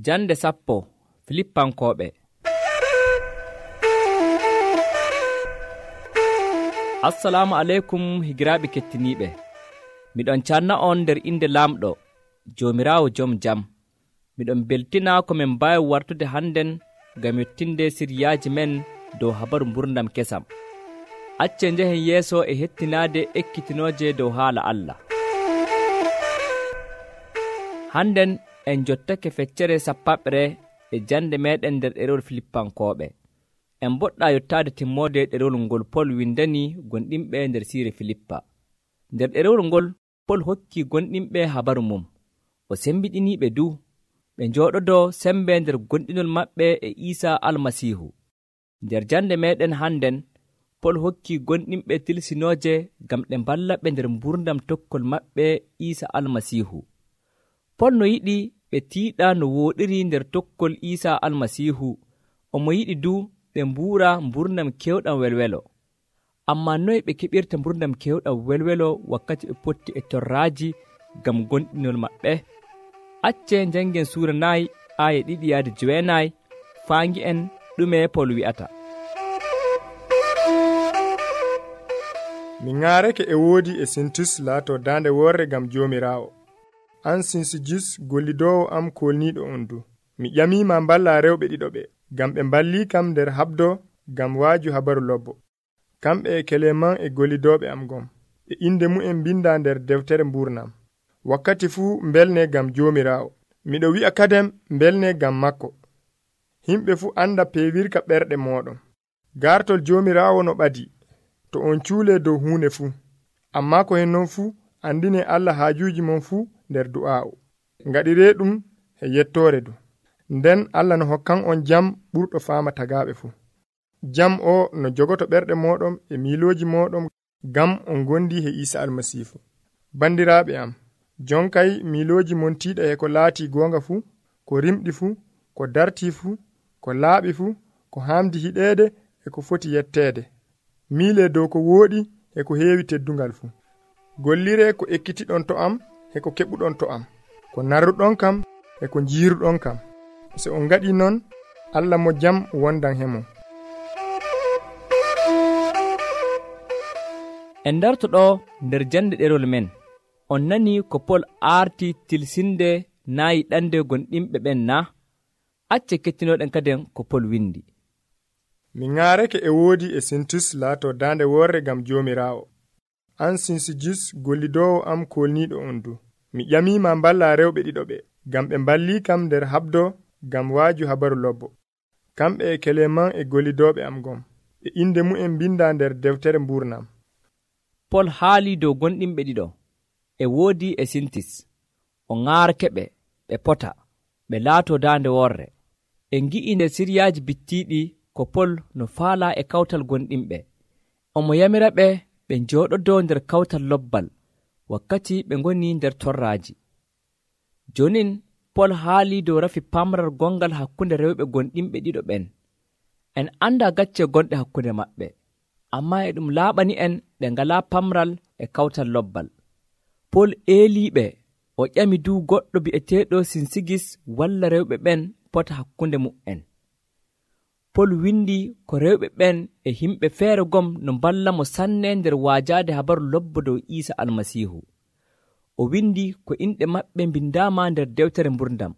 Jande 10 Filippankooɓe. Assalamu aleykum higiraaɓe kettiniiɓe. Miɗon canna on nder inde laamɗo Joomiraawo joom jam. Miɗon beltina ko min mbaawi wartude hannden ngam yettinde siryaaji men dow habaru mburdam kesam. Accee njehen yeeso e hettinaade ekkitinooje dow haala Allah. Hannden en jottake feccere sappaɓre e jande meɗen nder ɗerewol Filippankooɓe. En boɗɗa yottaade timmoode ɗerewol ngol Pol windani gonɗinɓe nder siire Filippa. Nder ɗerewol ngol Pol hokki gonɗinɓe habaru mum. O sembiɗiniiɓe du ɓe njooɗodoo sembe nder gonɗinol maɓɓe e Iisaa Almasiihu. Nder jande meɗen hannden Pol hokki gonɗinɓe tilsinooje ngam ɗe mballa ɓe nder mburdam tokkol maɓɓe Iisaa Almasiihu. Pol no yiɗi ɓe tiiɗa no wooɗiri nder tokkol Iisaa Almasiihu, omo yiɗi du ɓe mbuura mburdam kewɗam welwelo. Ammaa noye ɓe keɓirta mburdam kewɗam welwelo wakkati ɓe potti e torraaji ngam gonɗinol maɓɓe? Accee njanngen suura 4 aaye 2-9 faangi'en ɗume Pol wi'ata. Mi ŋaarake e woodi e Sintus laato daande worre ngam Joomiraawo. An Sinsijus gollidoowo am kolniiɗo on du. Mi ƴamiima mballa rewɓe ɗiɗo ɓe, ngam ɓe mballii kam nder haɓdo ngam waaju habaru lobbo. Kamɓe e Keleman e gollidooɓe am gom. E inde mu'en bindaa nder deftere mburnam. Wakkati fuu mbelne ngam Joomiraawo. Miɗo wi'a kadem mbelne ngam makko. Himɓe fuu anda peewirka ɓerɗe mooɗon. Gartol Joomiraawo no ɓadi, to on cuulee dow huunde fuu. Ammaa ko hen non fuu andine Allah haajuuji mon fuu nder du'aa'u. Ngaɗiree ɗum e yettoore du. Nden Allah no hokkan on jam ɓurɗo faama tagaaɓe fuu. Jam o no jogoto ɓerɗe mooɗon e miilooji mooɗon ngam on gondi he Iisa Almasiihu. Bandiraaɓe am, jonkay miilooji mon tiiɗa e ko laatii goonga fuu, ko rimɗi fuu, ko dartii fuu, ko laaɓi fuu, ko haamdi hiɗeede e ko foti yetteede. Miilee dow ko wooɗi e ko heewi teddungal fuu. Golliree ko ekkitiɗon to am e ko keɓuɗon to am, ko narruɗon kam e ko njiiruɗon kam. So on ngaɗii non, Allah mo jam wondan hemo. En dartoɗo nder jande ɗerol men, on nani ko Pol aarti tilsinde naayi ɗande gonɗinɓe ɓen na? Acce kettinoɗen kaden ko Pol windi. Mi ŋaarake e woodi e Sintus laato daande worre ngam Joomiraawo. An Sinsijus gollidoowo am kolniiɗo on du. Mi ƴamiima mballa rewɓe ɗiɗo ɓe, ngam ɓe mballii kam nder haɓdo ngam waaju habaru lobbo. Kamɓe e Keleman e gollidooɓe am gom. E inde mu'en bindaa nder deftere mburnam. Pol haali dow gonɗinɓe ɗiɗo e woodi e Sintis. O ŋaarake ɓe, ɓe pota, ɓe laato daande worre. En ngi'i nder siryaaji bittiiɗi ko Pol no faala e kawtal gonɗinɓe. Omo yamira ɓe ɓe njooɗodoo nder kawtal lobbal wakkati ɓe ngoni nder torraaji. Jonin Pol haali dow rafi pamral gongal hakkunde rewɓe gonɗinɓe ɗiɗo ɓen. En anda gacce gonɗe hakkunde maɓɓe, ammaa e ɗum laaɓani en ɓe ngalaa pamral e kawtal lobbal. Pol eeliiɓe, o ƴami du goɗɗo bi'eteeɗo Sinsigis walla rewɓe ɓen pota hakkunde mu'en. Pol windi ko rewɓe ɓen e himɓe feere gom no mballa mo sanne nder waajaade habaru lobbo dow Iisa Almasiihu. O windi ko inɗe maɓɓe mbindaama nder dewtere mburdam.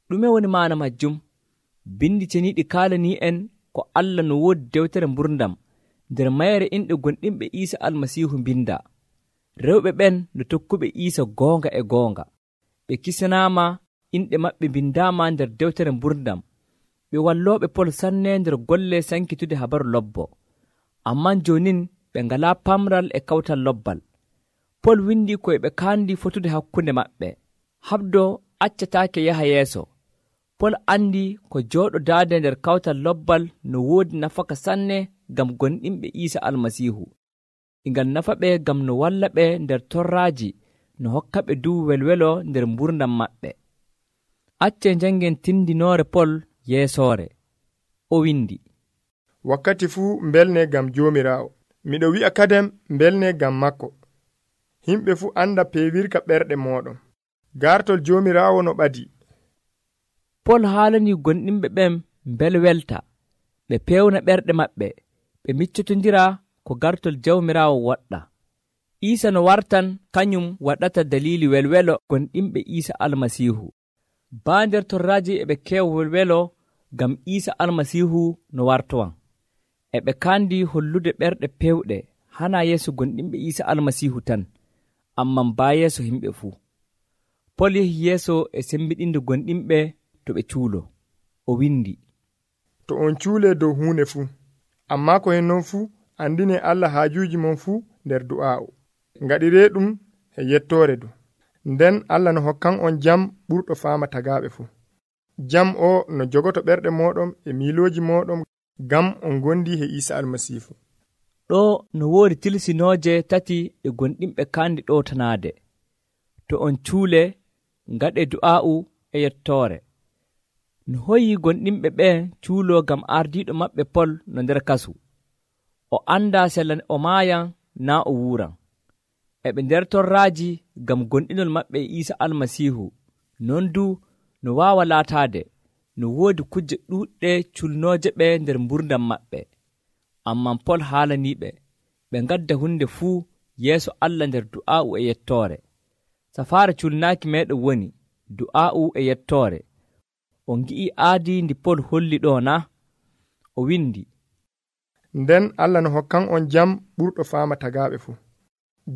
Ɗume woni maana majjum? Bindi ceniiɗi kaalanii en ko Allah no woodi dewtere mburdam nder mayre inɗe gonɗinɓe Iisa Almasiihu mbindaa. Rewɓe ɓen no tokkuɓe Iisa goonga e goonga. Ɓe kisanaama, inɗe maɓɓe mbindaama nder dewtere mburdam. Ɓe wallooɓe Pol sanne nder golle sankitude habaru lobbo. Amman jonin ɓe ngalaa pamral e kawtal lobbal. Pol windi koye ɓe kaandi fotude hakkunde maɓɓe. Haɓdo accataake yaha yeeso. Pol andi ko jooɗodaade nder kawtal lobbal no woodi nafaka sanne ngam gonɗinɓe Iisa Almasiihu. Ngal nafa ɓe ngam no walla ɓe nder torraaji no hokka ɓe du welwelo nder mburdam maɓɓe. Accee njanngen tindinoore Pol yeesoore. O windi, wakkati fuu mbelne ngam Joomiraawo. Miɗo wi'a kadem mbelne ngam makko. Himɓe fuu anda peewirka ɓerɗe mooɗon. Gartol Joomiraawo no ɓadi, Pol haalani gonɗinɓe ɓen bel welta, ɓe pewna ɓerɗe maɓɓe, ɓe miccotondira ko gartol Jawmiraawo waɗɗa. Iisa no wartan kañum waɗata dalili welwelo gonɗinɓe Iisa Almasiihu. Baa nder torraaji e ɓe keewa welwelo ngam Iisa Almasiihu no wartowan. E ɓe kaandi hollude ɓerɗe pewɗe hana yeeso gonɗinɓe Iisa Almasiihu tan, amman baa yeeso himɓe fuu. Pol yehi yeeso e sembiɗinde gonɗinɓe to ɓe cuulo. O windi, to on cuulee dow huunde fuu, ammaa ko hen non fuu andine Allah haajuuji mon fuu nder du'aa'u. Ngaɗiree ɗum e yettoore du. Nden Allah no hokkan on jam ɓurɗo faama tagaaɓe fuu. Jam o no jogoto ɓerɗe mooɗon e miilooji mooɗon ngam on gondi e Iisa Almasiihu. Ɗo no woodi tilsinooje tati e gonɗinɓe kaandi ɗowtanaade. To on cuule, ngaɗee du'aa'u e yettoore. No hoyi gonɗinɓe ɓen cuuloo ngam ardiiɗo maɓɓe Pol no nder kasu. O anndaa sella o maayan naa o wuuran. E ɓe nder torraaji ngam gonɗinol maɓɓe e Iisa Almasiihu. Non du no waawa laataade no woodi kujje ɗuuɗɗe culnooje ɓe nder mburdam maɓɓe. Amman Pol haalaniiɓe ɓe ngadda hunde fuu yeeso Allah nder du'aa'u e yettoore. Safaare culnaaki meeɗen woni du'aa'u e yettoore. On ngi'i aadi ndi Pol holli ɗo na? O windi, nden Allah no hokkan on jam ɓurɗo faama tagaaɓe fuu.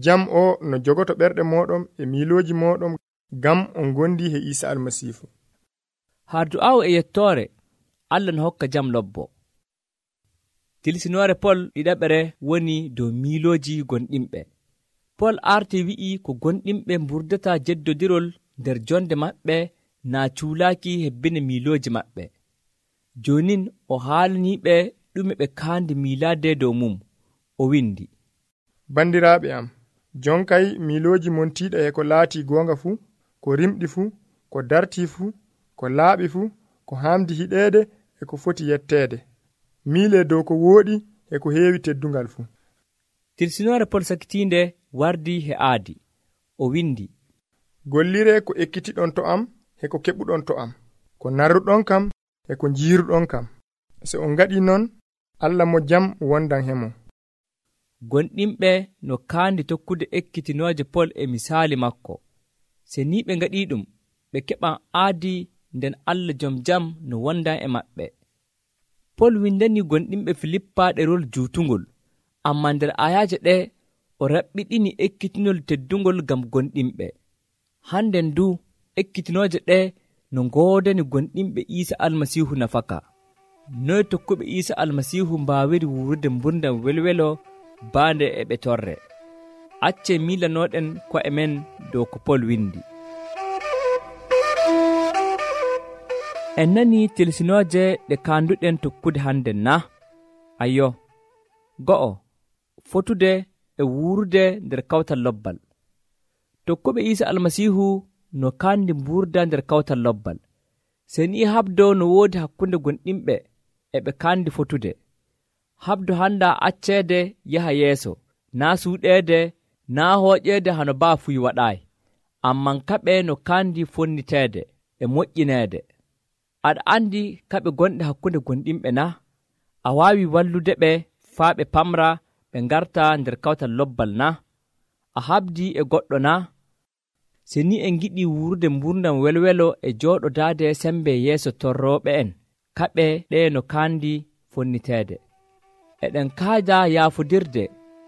Jam o no jogoto ɓerɗe mooɗon e miilooji mooɗon ngam on gondi e Iisa Almasiihu. Haa du'aa'u e yettoore, Allah no hokka jam lobbo. Tilsinoore Pol ɗiɗaɓere woni dow miilooji gonɗinɓe. Pol arti wi'i ko gonɗinɓe mburdata jeddodirol nder jonde maɓɓe naa cuulaaki hebbine miilooji maɓɓe. Jonin o haalaniiɓe ɗume ɓe kaandi miilaade dow mum. O windi, bandiraaɓe am, jonkay miilooji montiiɗa e ko laatii goonga fuu, ko rimɗi fuu, ko dartii fuu, ko laaɓi fuu, ko haamdi hiɗeede e ko foti yetteede. Miilee dow ko wooɗi e ko heewi teddungal fuu. Tilsinoore Pol sakitiinde wardi he aadi. O windi, golliree ko ekkitiɗon to am e ko keɓuɗon to am, ko narruɗon kam e ko njiiruɗon kam. So on ngaɗii non, Allah mo jam wondan hemo. Gonɗinɓe no kaandi tokkude ekkitinooje Pol e misaali makko. Se ni ɓe ngaɗii ɗum, ɓe keɓan aadi nden Allah jom jam no wondan e maɓɓe. Pol windani gonɗinɓe Filippa ɗerol juutungol, ammaa nder ayaaje ɗe o raɓɓiɗini ekkitinol teddungol ngam gonɗinɓe. Hande ndu ekkitinooje ɗe no ngoodani gonɗinɓe Iisa Almasiihu nafaka. Noy tokkuɓe Iisa Almasiihu mbaawiri wuurude mburdam welwelo baande e ɓe torre. Accee miilanooɗen ko'e men dow ko Pol windi. En nani tilsinooje ɗe kaanduɗen tokkude hande na? Ayyo, go'o, fotude e wuurude nder kawtal lobbal. Tokkuɓe Iisa Almasiihu no kaandi mburda nder kawtal lobbal. Se ni habdo no woodi hakkunde gonɗinɓe e ɓe kaandi fotude. Habdo handa acceede yaha yeeso, naa suuɗeede, naa hooƴeede hano baa fuy waɗaayi. Amman kaɓe no kaandi fonniteede e moƴƴineede. Aɗa andi kaɓe gonɗe hakkunde gonɗinɓe na? A waawi wallude ɓe faa ɓe pamra ɓe ngarta nder kawtal lobbal na? A habdi e goɗɗo na? Se ni en giɗi wuurude mburdam welwelo e jooɗodaade sembe yeeso torrooɓe en, kaɓe ɗe no kaandi fonniteede. Eɗen kaada yaafodirde,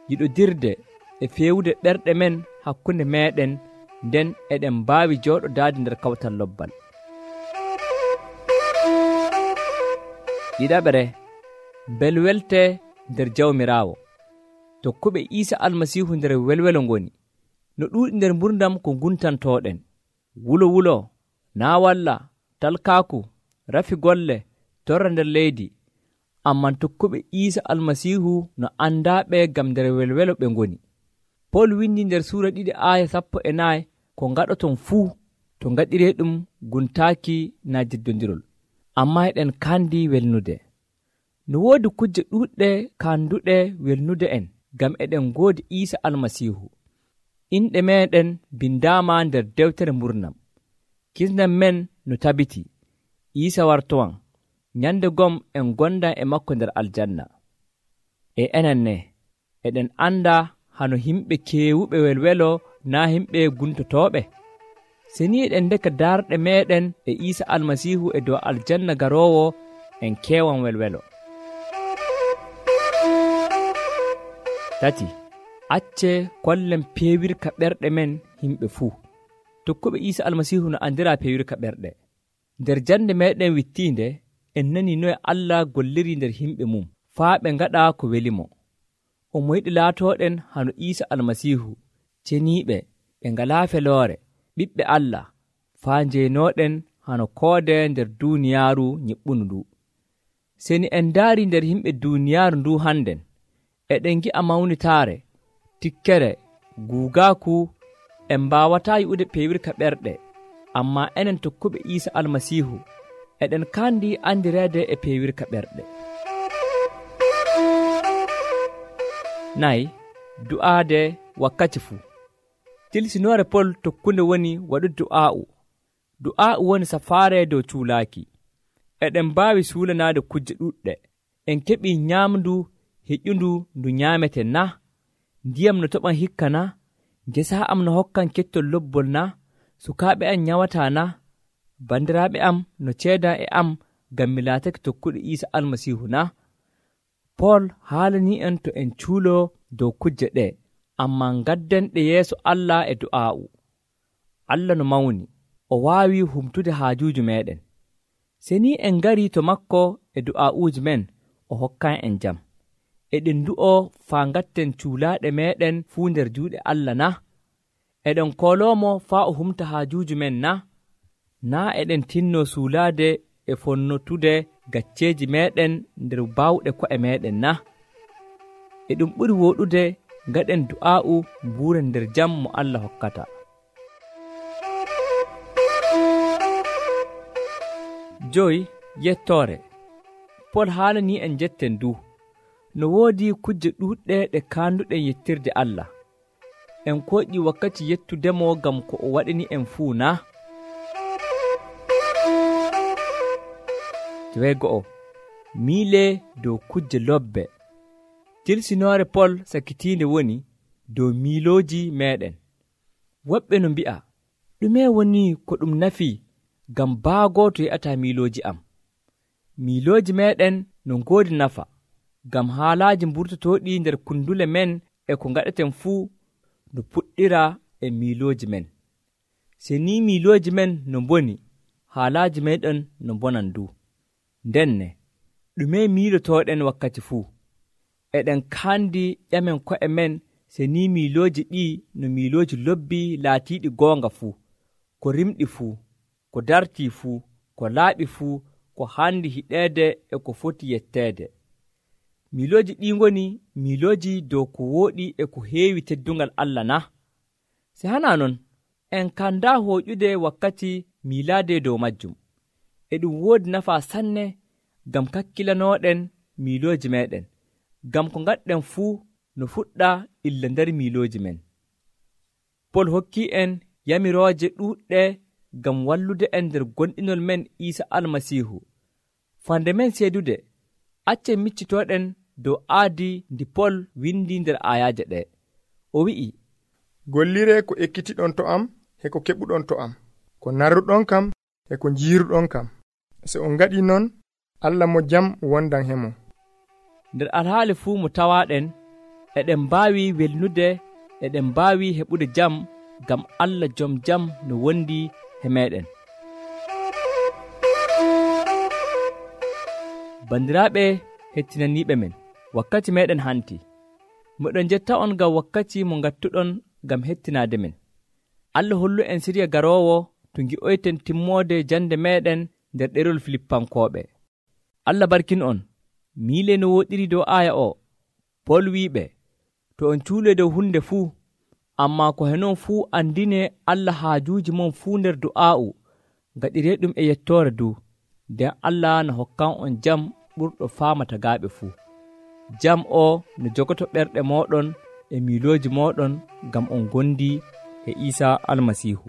yiɗodirde e feewude ɓerɗe men hakkunde meeɗen, nden eɗen mbaawi jooɗodaade nder kawtal lobbal. Ɗiɗaɓere, bel welte nder Jawmiraawo. Tokkuɓe Iisa Almasiihu nder welwelo ngoni. No ɗuuɗi nder mburdam ko nguntantooɗen, wulo, naa walla, talkaaku, rafi golle, torra nder leydi. Amman tokkuɓe Iisa Almasiihu no andaaɓe ngam nder welwelo ɓe ngoni. Pol windi nder suura 2:14 ko ngaɗoton fuu to ngaɗiree ɗum guntaaki naa jeddondirol, ammaa eɗen kaandi welnude. No woodi kujje ɗuuɗɗe kaanduɗe welnude en ngam eɗen ngoodi Iisa Almasiihu. Inɗe meeɗen bindaama nder dewtere mburnam. Kisnam men no tabiti. Iisa wartowan nyande gom en gondan e makko nder aljanna. E enen ne eɗen anda hano himɓe keewuɓe welwelo naa himɓe guntotooɓe. Se ni eɗen ndeka darɗe meɗen e Iisa almasiihu e dow aljanna garoowo, en keewan welwelo. Tati, acce kollen peewirka ɓerɗe men himɓe fuu. Tokkuɓe Iisa almasiihu no andira peewirka ɓerɗe. Nder jande meɗen wittiinde en nani noye Allah golliri nder himɓe mum faa ɓe ngaɗa ko welimo. Omo yiɗi laatooɗen hano Iisa almasiihu, ceniiɓe ɓe ngalaa feloore, ɓiɓɓe Allah, faa njeenooɗen hano koode nder duuniyaaru nyiɓɓunu ndu. Seni en ndaari nder himɓe duuniyaaru ndu hannden, eɗen ngi'a mawnitaare, tikkere, guugaaku, en mbaawataa yi'ude peewirka ɓerɗe, ammaa enen tokkuɓe Iisa almasiihu eɗen kaandi andireede e peewirka ɓerɗe. Nayi, du'aade wakkati fuu. Tilsinoore Pol tokkunde woni waɗude du'aa'u. Du'aa'u woni safaare dow cuulaaki. Eɗen mbaawi suulanaade kujje ɗuɗɗe. En keɓii nyaamndu heƴƴundu ndu nyaameten na? Ndiyam no toɓan hikka na? Ngesa am no hokkan kettol lobbol na? Sukaaɓe am nyawataa na? Bandiraaɓe am no ceedaa e am ngam mi laatake tokkuɗo Iisa almasiihu na? Pol haalanii en to en cuuloo dow kujje ɗe, ammaa ngadden ɗe yeeso Allah e du'aa'u. Allah no mawni, o waawi humtude haajuuji meeɗen. Se ni en ngarii to makko e du'aa'uuji men, o hokkan en jam. Eɗen ndu'oo faa ngatten cuulaaɗe meeɗen fuu nder juuɗe Allah na? Eɗen kooloomo faa o humta haajuuji men na? Naa eɗen tinnoo suulaade e fonnotude gacceeji meeɗen nder baawɗe ko'e meeɗen na? E ɗum ɓuri wooɗude ngaɗen du'aa'u mbuuren nder jam mo Allah hokkata. Joyi, yettoore. Pol haalanii en jetten du. No woodi kujje ɗuuɗɗe ɗe kaanduɗen yettirde Allah. En koƴƴi wakkati yettudemo ngam ko o waɗini en fuu na? Joweego'o, miile dow kujje lobbe. Tilsinoore Pol sakitiinde woni dow miilooji meeɗen. Woɓɓe no mbi'a, ɗume woni ko ɗum nafi ngam baago to yi'ataa miilooji am? Miilooji meeɗen no ngoodi nafa, ngam haalaaji mburtotooɗi nder kundule men e ko ngaɗeten fuu no puɗɗira e miilooji men. Se ni miilooji men no mboni, haalaaji meeɗen no mbonan du. Ndenne, ɗume miilotooɗen wakkati fuu? Eɗen kaandi ƴamen ko'e men se ni miilooji ɗii no miilooji lobbi laatiiɗi goonga fuu, ko rimɗi fuu, ko dartii fuu, ko laaɓi fuu, ko haandi hiɗeede e ko foti yetteede. Miilooji ɗii ngoni miilooji dow ko wooɗi e ko heewi teddungal Allah na? Se hanaa non, en kandaa hooƴude wakkati miilaade dow majjum. E ɗum woodi nafaa sanne ngam kakkilanooɗen miilooji meeɗen, ngam ko ngaɗɗen fuu no fuɗɗa illa nder miilooji men. Pol hokkii en yamirooje ɗuuɗɗe ngam wallude en nder gonɗinol men Iisa almasiihu. Fande men seedude, accen miccitooɗen dow aadi ndi Pol windi nder ayaaje ɗe. O wi'i, gollire ko ekkitiɗon to am e ko keɓuɗon to am, ko narruɗon kam e ko njiiruɗon kam. Se on ngaɗi non, Allah mo jam wondan hemo. Nder alhaali fuu mo tawaaɗen, eɗen mbaawi welnude, eɗen mbaawi heɓude jam, ngam Allah jom jam no wondi he meeɗen. Bandiraaɓe hettinaniiɓe men, wakkati meeɗen hanti. Moɗon jetta on ngam wakkati mo ngattuɗon ngam hettinaade men. Allah hollu en siriya garoowo to ngi'oyten timmoode jande meeɗen nder ɗerol Filippankooɓe. Allah barkin on. Miile no woɗiri dow aaya o. Pol wiiɓe, to on cuule dow hunde fuu, ammaa ko henon fuu andine Allah haajuuji mon fuu nder du'aa'u, ngaɗiree ɗum e yettoore du, nden Allah no hokkan on jam ɓurɗo faamata gaaɓe fuu. Jam o no jogoto ɓerɗe mooɗon e miilooji mooɗon ngam on gondi e Iisa almasiihu.